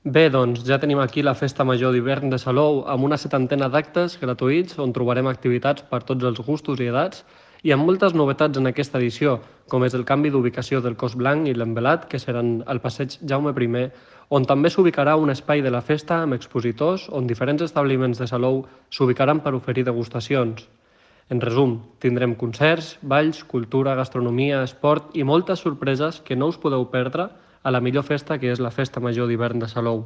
Bé, doncs ja tenim aquí la Festa Major d'hivern de Salou amb una setantena d'actes gratuïts on trobarem activitats per tots els gustos i edats i amb moltes novetats en aquesta edició, com és el canvi d'ubicació del Cos Blanc i l'Envelat, que seran al passeig Jaume I, on també s'ubicarà un espai de la festa amb expositors on diferents establiments de Salou s'ubicaran per oferir degustacions. En resum, tindrem concerts, balls, cultura, gastronomia, esport i moltes sorpreses que no us podeu perdre a la millor festa que és la Festa Major d'hivern de Salou.